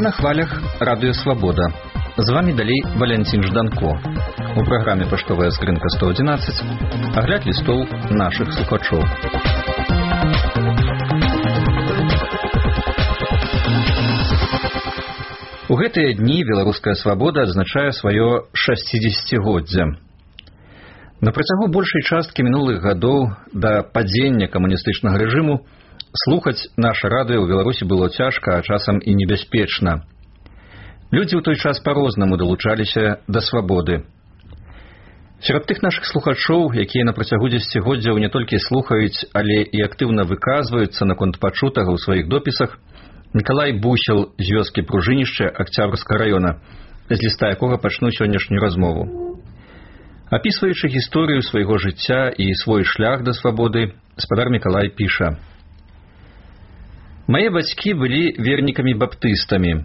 На хвалях радыё Свабода. З вами далей Валянцін Жданко. У праграме «Паштовая скрынка 111» агляд лістоў нашых слухачоў. У гэтыя дні беларуская свабода адзначае сваё 60-годдзе. На працягу большай часткі мінулых гадоў да падзення камуністычнага рэжыму слухаць наша радыё ў Беларусі было цяжка, а часам і небяспечна. Людзі ў той час па-рознаму далучаліся да свабоды. Сярод тых нашых слухачоў, якія на працягу дзесяцігоддзяў не толькі слухаюць, але і актыўна выказваюцца наконт пачутага ў сваіх допісах, Мікалай Бусел з вёскі Пружынішча Акцябрскага раёна, з ліста якога пачну сённяшнюю размову. Апісваючы гісторыю свайго жыцця і свой шлях да свабоды, спадар Мікалай піша: «Мае бацькі былі вернікамі-баптыстамі.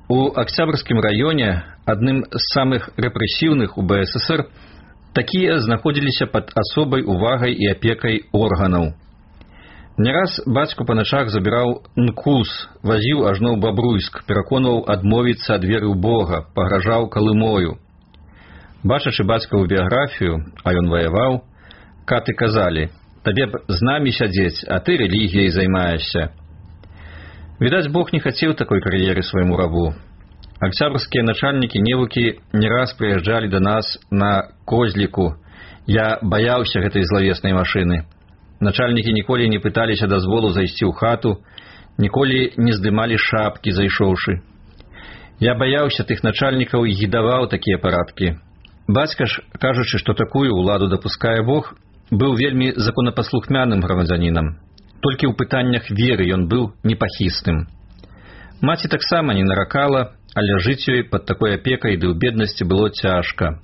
У Акцябрскім раёне, адным з самых рэпрэсіўных у БССР, такія знаходзіліся пад асобай увагай і апекай органаў. Не раз бацьку па начах забіраў НКУС, вазіў ажно ў Бабруйск, пераконваў адмовіцца ад веры ў Бога, пагражаў калымою. Бачачы бацькаву біяграфію, а ён ваяваў, каты казалі: «Табе б з намі сядзець, а ты рэлігіяй займаешся». Відаць, Бог не хацеў такой кар'еры свайму рабу. Акцябрскія начальнікі невукі не раз прыязджалі да нас на козліку. Я баяўся гэтай злавеснай машыны. Начальнікі ніколі не пыталіся дазволу зайсці ў хату, ніколі не здымалі шапкі, зайшоўшы. Я баяўся тых начальнікаў і гідаваў такія парадкі. Бацька ж, кажучы, што такую ўладу дапускае Бог, быў вельмі законапаслухмяным грамадзянінам. Толькі ў пытаннях веры ён быў непахісным. Маці таксама не наракала, але жыць ёй пад такой апекай ды ў беднасці было цяжка.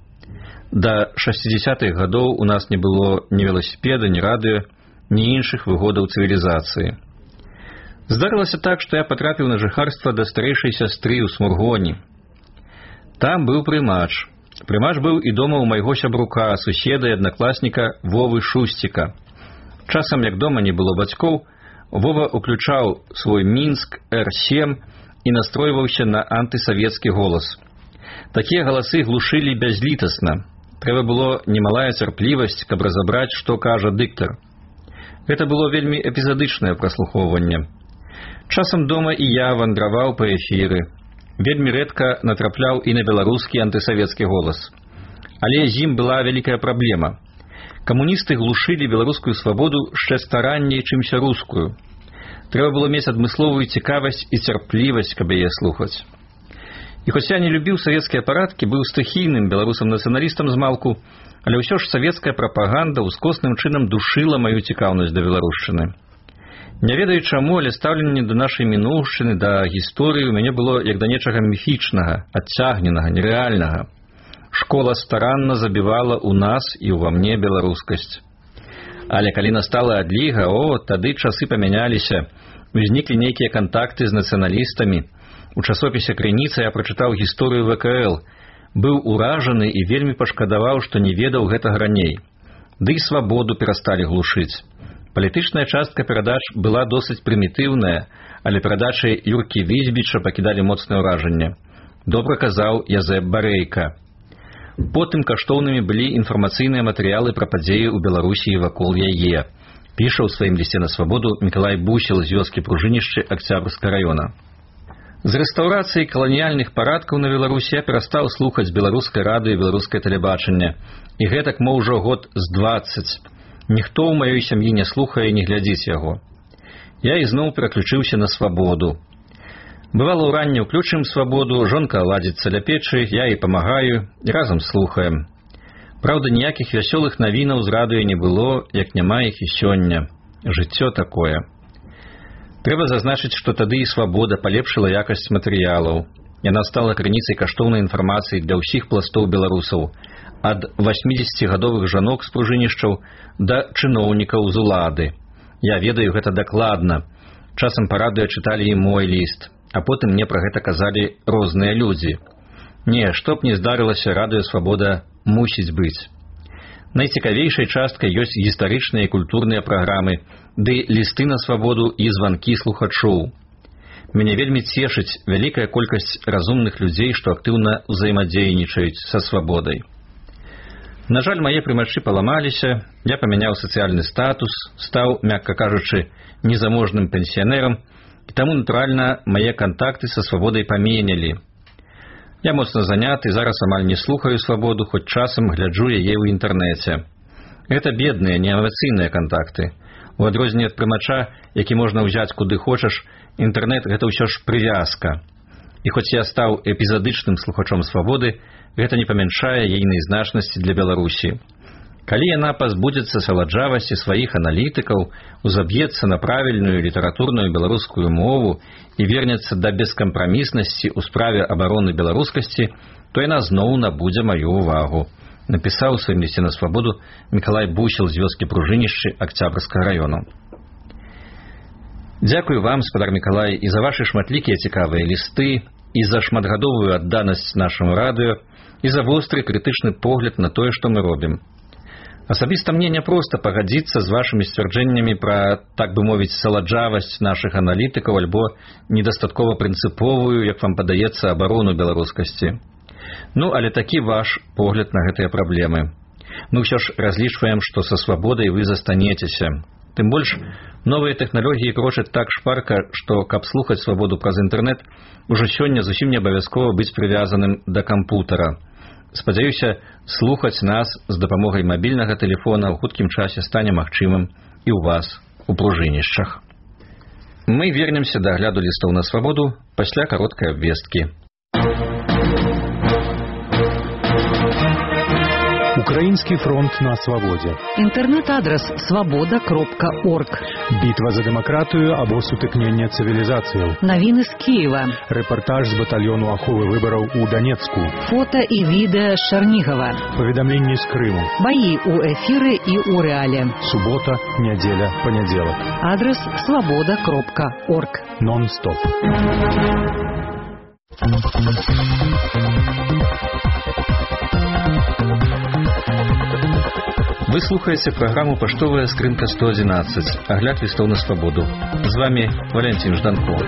Да 60-х гадоў у нас не было ні веласіпеда, ні радыё, ні іншых выгодаў цывілізацыі. Здарылася так, што я патрапіў на жыхарства да старэйшай сястры ў Смургоні. Там быў прымач. Прымач быў і дома ў майго сябрука, суседа і аднакласніка Вовы Шусціка. Часам, як дома не было бацькоў, Вова уключаў свой Мінск Р7 і настройваўся на антысавецкі голас. Такія галасы глушылі бязлітасна. Трэба было немалая цярплівасць, каб разабраць, што кажа дыктар. Гэта было вельмі эпізадычнае праслухоўванне. Часам дома і я вандраваў па эфіры. Вельмі рэдка натрапляў і на беларускі антысавецкі голас. Але з ім была вялікая праблема. Камуністы глушылі беларускую свабоду яшчэ старанней, чымся рускую. Трэба было мець адмысловую цікавасць і цярплівасць, каб яе слухаць. І хоць я не любіў савецкія парадкі, быў стыхійным беларусам-нацыяналістам змалку, але ўсё ж савецкая прапаганда ўскосным чынам душыла маю цікаўнасць да беларушчыны. Не ведаю чаму, але стаўленне да нашай мінуўшчыны, да гісторыі ў мяне было як да нечага міфічнага, адцягненага, нерэальнага. Школа старанна забівала ў нас і ўва мне беларускасць. Але калі настала адліга, тады часы памяняліся, узніклі нейкія кантакты з нацыяналістамі. У часопісе «Крыніца» я прачытаў гісторыю ВКЛ, быў уражаны і вельмі пашкадаваў, што не ведаў гэтага раней. Ды і свабоду перасталі глушыць. Палітычная частка перадач была досыць прымітыўная, але перадачы Юркі Візьбіча пакідалі моцнае ўражанне. Добра казаў Язэп Барэйка. Потым каштоўнымі былі інфармацыйныя матэрыялы пра падзеі ў Беларусі і вакол яе. Піша ў сваім лісце на свабоду Мікалай Бусел з вёскі Пружынішча Акцябрскага раёна. З рэстаўрацыяй каланіяльных парадкаў на Беларусі я перастаў слухаць беларускае радыё і беларускае тэлебачанне. І гэтак мо ўжо год з 20. Ніхто ў маёй сям'і не слухае і не глядзіць яго. Я ізноў пераключыўся на свабоду. Бывала, ўранне ўключым свабоду, жонка ладзіцца ля печы, я і памагаю, і разам слухаем. Праўда, ніякіх вясёлых навінаў з радыё не было, як няма іх і сёння. Жыццё такое. Трэба зазначыць, што тады і свабода палепшыла якасць матэрыялаў. Яна стала крыніцай каштоўнай інфармацыі для ўсіх пластоў беларусаў, ад 80-гадовых жанок з пружынішчаў да чыноўнікаў з улады. Я ведаю гэта дакладна. Часам па радыё чыталі і мой ліст, а потым мне пра гэта казалі розныя людзі. Не, што б не здарылася, радыё «Свабода» мусіць быць. Найцікавейшай часткай ёсць гістарычныя і культурныя праграмы, ды лісты на свабоду і званкі слухачоў. Мяне вельмі цешыць вялікая колькасць разумных людзей, што актыўна ўзаемадзейнічаюць са свабодай. На жаль, мае прымачы паламаліся, я памяняў сацыяльны статус, стаў, мякка кажучы, незаможным пенсіянерам, і таму, натуральна, мае кантакты са свабодай паменялі. Я моцна заняты, зараз амаль не слухаю свабоду, хоць часам гляджу яе ў інтэрнэце. Гэта бедныя, неэмацыйныя кантакты. У адрозненне ад прымача, які можна ўзяць куды хочаш, інтэрнэт – гэта ўсё ж прывязка. І хоць я стаў эпізадычным слухачом свабоды, гэта не памяншае ейнай значнасці для Беларусі. Калі яна пазбудзецца саладжавасці сваіх аналітыкаў, узаб'ецца на правільную літаратурную беларускую мову і вернецца да бескампраміснасці ў справе абароны беларускасці, то яна зноў набудзе маю ўвагу. Напісаў у сваім лісце на свабоду Мікалай Бусел з вёскі Пружынішчы Акцябрскага раёну. Дзякую вам, спадар Мікалай, і за вашы шматлікія цікавыя лісты, і за шматгадовую адданасць нашаму радыё, і за востры крытычны погляд на тое, што мы робім. Асабіста мне няпроста пагадзіцца з вашымі сцвярджэннямі пра, так бы мовіць, саладжавасць нашых аналітыкаў альбо недастаткова прынцыповую, як вам падаецца, абарону беларускасці. Ну, але такі ваш погляд на гэтыя праблемы. Мы ўсё ж разлічваем, што са свабодай вы застанецеся. Тым больш, новыя тэхналогіі крочаць так шпарка, што, каб слухаць свабоду праз інтэрнэт, ужо сёння зусім не абавязкова быць прывязаным да кампутара. Спадзяюся, слухаць нас з дапамогай мабільнага тэлефона ў хуткім часе стане магчымым і ў вас, у Пружынішчах. Мы вернемся да агляду лістоў на свабоду пасля кароткай абвесткі. Украинский фронт на свободе. Интернет-адрес свобода.орг. Битва за демократию або сутыкнення цивилизацию. Новины с Киева. Репортаж з батальону аховы выборов у Донецку. Фото и видео с Чернигова. Поведомления с Крыму. Бои у эфиры и у реале. Суббота, неделя, понеделок. Адрес свобода.орг. Нон-стоп. Вы слухаеце праграму «Паштовая скрынка 111», агляд лістоў на свабоду. З вами Валентин Жданков.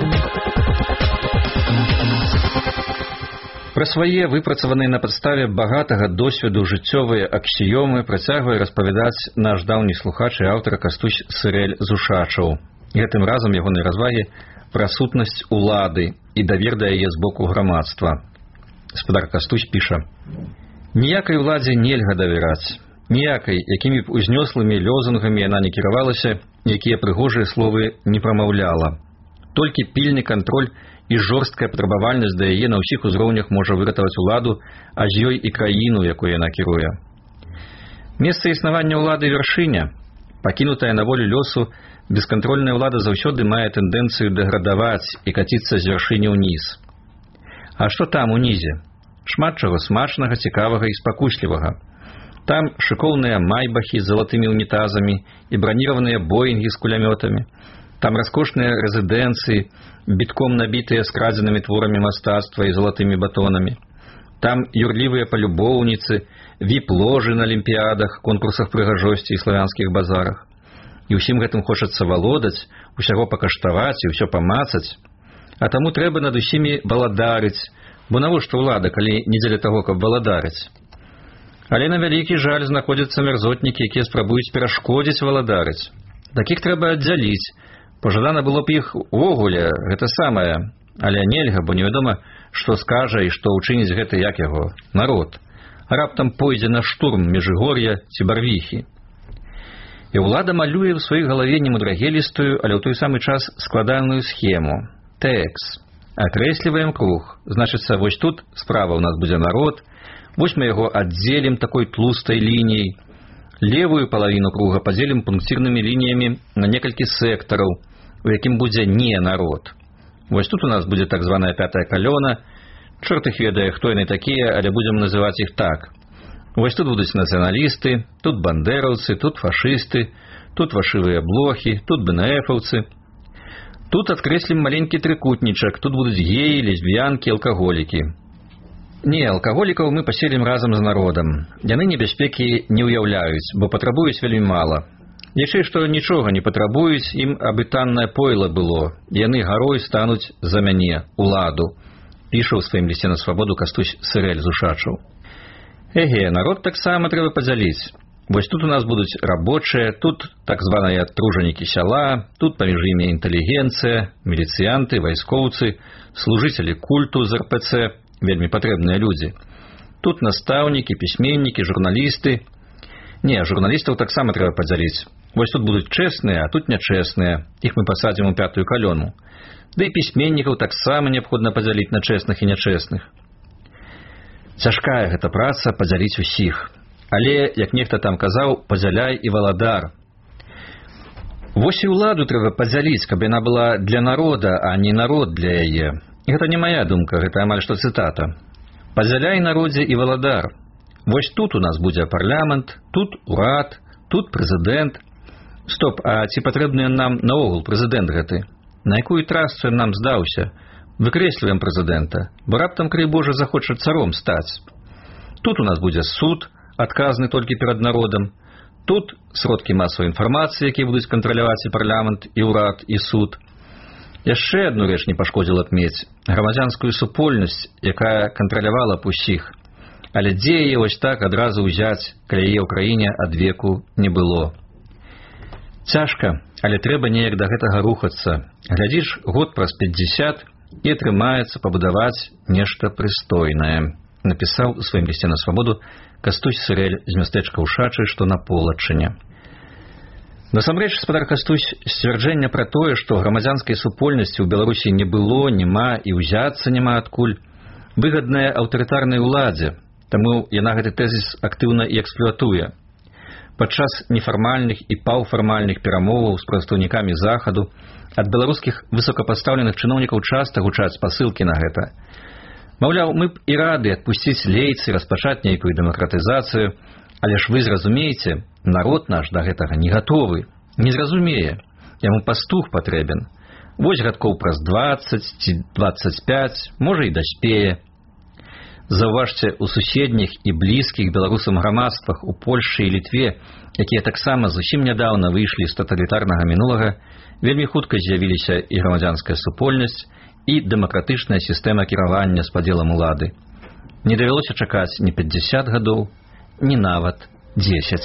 Пра свае выпрацаваныя на падставе багатага досведу жыццёвыя аксіёмы працягвае распавядаць наш даўні слухач і аўтар Кастусь Сырэль Зушачаў. Гэтым разам ягонай развагі пра сутнасць улады і давер да яе з боку грамадства. Спадар Кастусь піша: «Ніякай уладзе нельга давяраць. Ніякай, якімі б узнёслымі лёзунгамі яна не кіравалася, якія прыгожыя словы не прамаўляла. Толькі пільны кантроль і жорсткая патрабавальнасць да яе на ўсіх узроўнях можа выратаваць уладу, а з ёй і краіну, якую яна кіруе. Месца існавання ўлады вяршыня. Пакінутая на волю лёсу, бескантрольная ўлада заўсёды мае тэндэнцыю дэградаваць і каціцца з вяршыні ўніз. А што там унізе? Шмат чаго смачнага, цікавага і спакуслівага. Там шыкоўныя майбахі з залатымі унітазамі і браніраваныя боінгі з кулямётамі. Там раскошныя рэзідэнцыі, бітком набітыя скрадзенымі творамі мастацтва і залатымі батонамі. Там юрлівыя палюбоўніцы, віп-ложы на алімпіядах, конкурсах прыгажосці і славянскіх базарах. І ўсім гэтым хочацца валодаць, усяго пакаштаваць і ўсё памацаць. А таму трэба над усімі валадарыць, бо навошта ўлада, калі не дзеля таго, каб валадарыць? Але на вялікі жаль знаходзяцца мярзотнікі, якія спрабуюць перашкодзіць валадарыць. Такіх трэба аддзяліць. Пажадана было б іх увогуле, гэта самае. Але нельга, бо невядома, што скажа і што ўчыніць гэты, як яго, народ. А раптам пойдзе на штурм Межыгор'я ці Барвіхі. І ўлада малюе ў сваёй галаве немудрагелістую, але ў той самы час складаную схему. Тэкс. Акрэсліваем круг. Значыцца, вось тут справа ў нас будзе народ. Вось мы яго аддзелім такой тлустай лініяй. Левую палавіну круга падзелім пункцірнымі лініямі на некалькі сектараў, у якім будзе не народ. Вось тут у нас будзе так званая пятая калёна. Чорт іх ведае, хто яны такія, але будзем называць іх так. Вось тут будуць нацыяналісты, тут бандераўцы, тут фашысты, тут фашывыя блохі, тут БНФаўцы. Тут адкрэслім маленькі трыкутнічак, тут будуць геі, лесбіянкі, алкаголікі. Не, алкаголікаў мы паселім разам з народам. Яны небяспекі не ўяўляюць, бо патрабуюць вельмі мала. Яшчэ што нічога не патрабуюць, ім абы таннае пойла было, яны гарой стануць за мяне, уладу, піша ў сваім лісце на свабоду Кастусь Сырэль з Ушачаў. Эге, народ таксама трэба падзяліць. Вось тут у нас будуць рабочыя, тут так званыя тружанікі сяла, тут паміж імі інтэлігенцыя, міліцыянты, вайскоўцы, служыцелі культу з РПЦ, вельмі патрэбныя людзі. Тут настаўнікі, пісьменнікі, журналісты. Не, журналістаў таксама трэба падзяліць. Вось тут будуць чэсныя, а тут нячэсныя. Іх мы пасадзім у 5-ю калону. Ды і пісьменнікаў таксама неабходна падзяліць на чэсных і нячэсных. Цяжкая гэта праца падзяліць усіх. Але, як нехта там казаў, падзяляй і валадар. Вось і ўладу трэба падзяліць, каб яна была для народа, а не народ для яе. І гэта не мая думка, гэта амаль што цытата. Падзяляй народзе і валадар. Вось тут у нас будзе парламент, тут урад, тут прэзідэнт. Стоп, а ці патрэбны нам наогул прэзідэнт гэты? На якую трасцу нам здаўся? Выкрэсліваем прэзідэнта, бо раптам, крый Божа, захоча царом стаць. Тут у нас будзе суд, адказны толькі перад народам. Тут сродкі масавай інфармацыі, якія будуць кантраляваць і парламент, і ўрад, і суд. Яшчэ адну рэч не пашкодзіла б мець – грамадзянскую супольнасць, якая кантралявала б усіх. Але дзе яе вось так адразу ўзяць, калі яе ў краіне ад веку не было? Цяжка, але трэба неяк да гэтага рухацца. Глядзіш, год праз 50 і атрымаецца пабудаваць нешта прыстойнае. Напісаў у сваім лісце на свабоду Кастусь Сырэль з мястэчка Ушачы, што на Полачыне. Насамрэч, спадар Кастусь, сцвярджэння пра тое, што грамадзянскай супольнасці ў Беларусі не было, няма і ўзяцца няма адкуль, выгадная аўтарытарнай уладзе, таму яна гэты тэзіс актыўна і эксплуатуе. Падчас нефармальных і паўфармальных перамоваў з прадстаўнікамі Захаду ад беларускіх высокапастаўленых чыноўнікаў часта гучаць спасылкі на гэта. Маўляў, мы б і рады адпусціць лейцы, распачаць нейкую дэмакратызацыю, але ж вы зразумееце, народ наш да гэтага не гатовы, не зразумее, яму пастух патрэбен. Вось гадкоў праз 20 ці 25, можа і даспее. Заўважце, у суседніх і блізкіх беларусам грамадствах у Польшчы і Літве, якія таксама зусім нядаўна выйшлі з таталітарнага мінулага, вельмі хутка з'явіліся і грамадзянская супольнасць, і дэмакратычная сістэма кіравання з падзелам улады. Не давялося чакаць ні 50 гадоў, ні нават 10.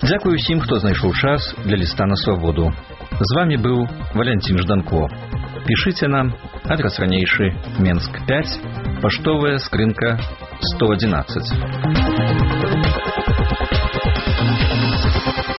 Дзякую ўсім, хто знайшоў час для ліста на свабоду. З вамі быў Валянцін Жданко. Пішыце нам, адрас ранейшы, Менск 5, паштовая скрынка 111.